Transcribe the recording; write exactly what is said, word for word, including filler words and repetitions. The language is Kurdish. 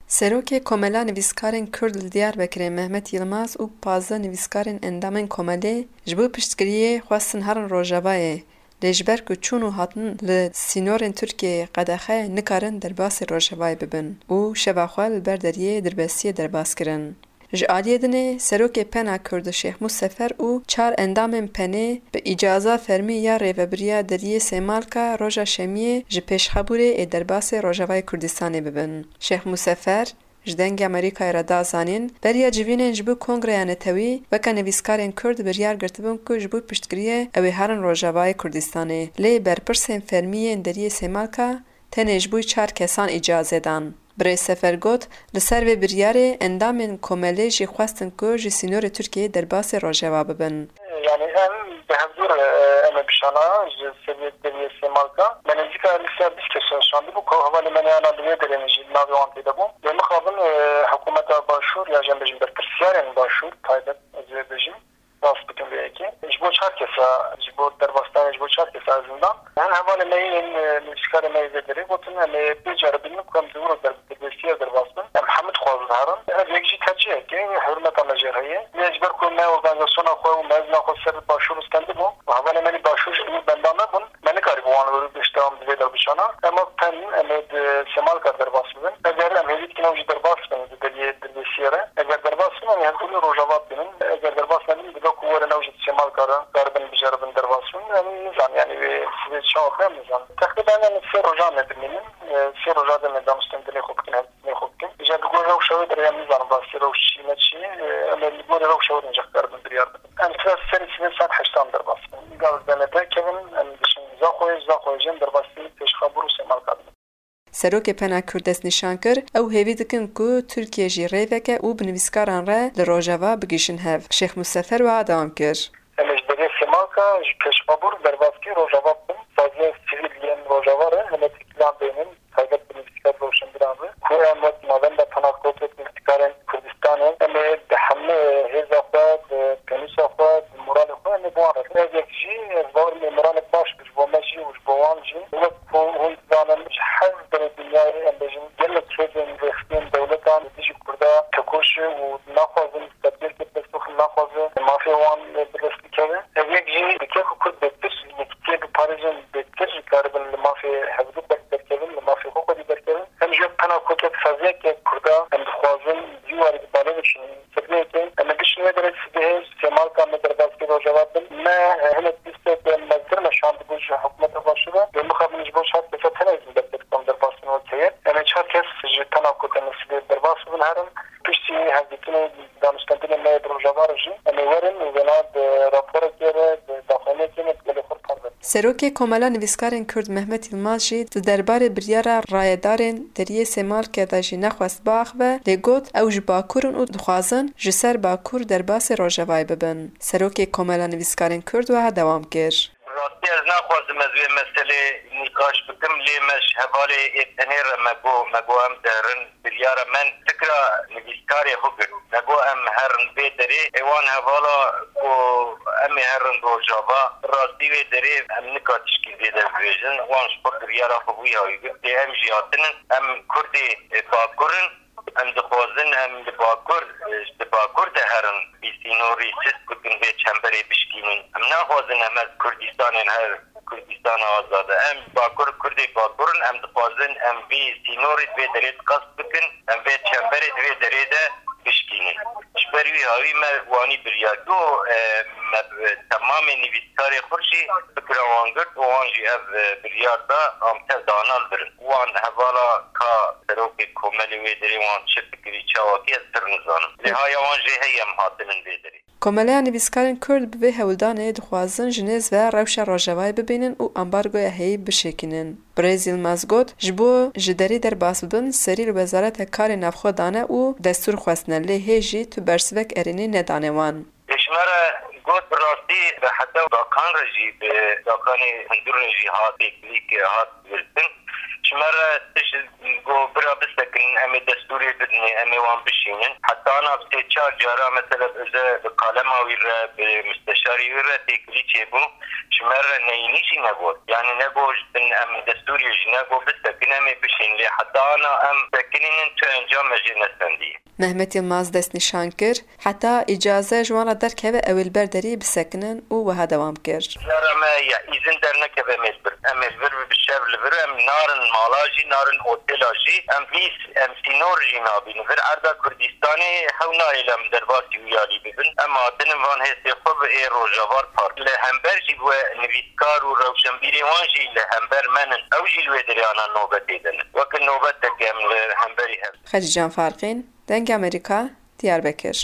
Serokê Komela Nivîskarên Kurd li Diyarbekirê Mehmet Yilmaz û pazdeh nivîskarên endamên komelê ji bo piştgiriyê xwestin herin Rojavayê, lê ji ber ku çûn û hatin li sînorên Tirkiyeyê qedexe ye, nikarin derbasî Rojavayê bibin û şeva xwe li ber deriyê Dirbesiyê derbas kirin. Ji aliyê dinê Serokê Pena Kurd Şêx Mûsefer û çar endamên Penê bi îcaza fermî ya rêvebiriya deriyê Sêmalka roja Şemiyê ji Pêşxabûrê ê derbasê Rojavayê Kurdistanê bibin. Şêx Mûsefer ji Dengê Amerîkayê re da zanîn, beriya civînên ji bo Kongreya Netewî weke nivîskarên Kurd biryar girtibin ku ji bo piştgiriyê ew ê herin Rojavayê Kurdistanê. Lê berpirsên fermî yên deriyê Sêmalka tenê ji bo çar kesan îcazê dan. Birêz Sefer got, li ser vê biryarê endamên komelê jî xwestin ku ji sînorê Tirkiyeyê derbasê Rojava bibin. Yani em bi hevdûr, e, em ê bişana ji seviyê deriyê Sêmalka. Me nêzîka lîsteya bîst kesan şandibû ku hevalê me neyana li wê derê ne jî navê wan tê de bû. Lê mixabin, e, hikûmeta Başûr ya jî em bêjin berpirsiyarên Başûr taybet ez ê bêjim, rast bikin vê yekê. Ji bo çar kesa, ji bo derbasdanê ji bo çar kesa ez zindan. Hin hevalê me yên, e, nivîskarê me yê vê derê gotin, em ê bêceribînin ku em di wir û der-, derbasiya derbas bin. Em hemû dixwazin herin. Ev yek jî tercihek e, hurmeta me jê re heye. Lê ji ber ku me organîzasyona xwe û mezina xwe ser Başûr stendibû û hevalê me li Başûr jî li wir benda me bûn, me nikarîbû wan li wir pêşdewam di vê de bişana. Em pen, em ê di Sêmalka derbas bibin. Eger em hêvî dikin ew jî derbas bin di deriyê Dirbêsiyê re. Eger derbas bin, em ê hevdû li Rojava bibînin. Eger derbas nebin, dibe ku werin ew jî di Sêmalka re karibin biceribin derbas bin. Em nizan, yani wê sibê çawa be, em nizan. Teqrîben em sê rojan me dimînin. E, sê roja de me danûstendinê xwe bikin, hevdîtinê xwe bikin. Îcar li gor rewşa wê derê em nizanin rastî rewş çi ne çi. E, em ê li gorî rewşa wê de ancak karibin biryar bidin. Em sibê serê sibê saet heştan derbas bin. Gavê me derkevin, em diçin Zaxoyê, Zaxoyê jî em derbasî Pêşxabûr û Sêmalka dibin. Serokê Pena Kurd destnîşan kir, ew hêvî dikin ku Tirkiye jî rê veke û bi nivîskaran re li Rojava bigihîjin hev. Şêx Mûsefer wiha dewam kir. Em ê ji derê Sêmalka ji Pêşxabûr derbas kir Rojava bibin. Saziyên sivîl yên Rojava re em ê têkîlan bênin, taybet bi nivîskar rewşenbîran re. Ku em wek Navenda Pena Kurd, wek nivîskarên Kurdistanê, em ê bi hemû hêza xwe, bi pênûsa xwe, bi moralê xwe em ê bi wan re bin. Ev yek jî ez bawer im ê moralek baş be ji bo me jî û ji bo wan jî. Wek ku hûn dizanin, ji her derê dinyayê em bêjin gelek hêzên rêxistiyên dewletan li dijî Kurda tekoş e û naxwazin statûyeke pêşxwe naxwaze mafê wan bi dest bikeve. Ev yek jî dike ku Kurd bêtir yekîtiyê biparêzin, bêtir karibin li mafê hevdû ber-, derkevin, li mafê xwe xwedî derkevin. Em ji wek Pena Kurd, wek saziyeke Kurda em dixwazin vî warî bi bale biçin. Sibê yekê em ê bişin wê derê, sibê Sêmalka me derbas kir Rojava bin. Me, e, hinek lîstek mezdir me şandibû ji hikûmeta Başûr re. Lê mixabin ji bo çar kesa tenê jî destê dixwam derbas bin wek heyet. Em ê çar kes ji Pena Kurd em ê sibê derbas bibin herin. Piştî hevdîtinê danûstendinê me yê bi Rojava re jî em ê werin û wêna bi raporekê re, bi daxuyaniyekê re bi gelê xwe parve. Serokê Komela Nivîskarên Kurd Mehmet Yilmaz jî di derbarê biryara rayedarên deriyê Sêmalkê de jî nexwest biaxive, lê got, ew ji Bakur in û dixwazin ji ser Bakur derbasê Rojavayê bibin. Serokê Komela Nivîskarên Kurd wiha dewam kir. Bi rastî ez naxwazim ez wê meselê nîqaş bikim, lê me ji hevalê ê tenê re me got, me got em diherin biryara me fikra nivîskarê xwe girt. Me got em herin vê derê, ê wan hevala ku em ê herin Rojava, bi rastî wê derê em nika tişkî zêde bibêjin. Wan ji xwe biryara xwe bû ya wî girt. Lê em jî hatinin, em Kurdê, e, Bakur in, em dixwazin em li Bakur, e, di Bakur de herin, vî sînorî sist bikin, vê çemberê bişkînin. Em naxwazin em her Kurdistanên her Kurdistana azad e. Em Bakur, Kurdê Bakur in, em dixwazin em vî sînorî di vê derê qas bikin, em vê çemberê di vê derê de bişkînin. Ji ber wî hawî me wanî biryar. Do, e, me bi temamê nivîskarê xwe jî fikra wan girt û wan jî ev, e, biryar da, em tev dana li vir in. Wan hevala ka serokê komelê wê derê wan çi fikirî, çawa kî, ez pir nizanim. Lê haya wan jê heye em hatinin vê derê. Komeleya Nivîskarên Kurd bi vê hewldanê dixwazin ji nêz ve rewşa Rojavayê bibînin û ambargoya heyî bişêkînin. Birêz Yilmaz got, ji bo ji derî derbas bibin, serî li Wezareta Karê Navxwe dane û destûr xwestine, lê hê jî tu bersivek erênî nedane wan. Lê ji me re got, bi rastî bi heta dakan re jî, bi dakanê hundir re jî hat têkilî kir, hat girtin. Ji me re tişt got, bira bisekinin, em ê destûrê bidinê, em ê wan bişînin. Heta ana bi sê çar cara mesela bi, bi kalema wî re, bi musteşarê wî re têkilî çêbû. Ji me re neyînî jî negot. Yanî negot ji bin em destûrê jî negot bisekin, em ê bişîn. Lê heta ana em sekinînin tu encam me jê nestendiye. Mehmet Yilmaz destnîşan kir, heta îcaze ji wan re derkeve ew ê li ber derî bisekinin û wiha dewam kir. Cara me ya îzin dernekeve em ê li vir. Em ê li vir bi şev li vir, em narin mala jî, narin otela jî, em hîs, em sînor jî nabînin. Vir erda Kurdistanê hew nayê li em derbasî wî alî bibin. Em hatinin van hêsê xwe bi ê Rojavar Park. Li hember jî we nivîskar û rewşenbîrê wan jî li hember me nin. Ew jî li wê derê ana nobetê de ne. Weke nobetek em li hemberî hev. Xecîcan Farqîn, Dengê Amerîka, Diyarbekir.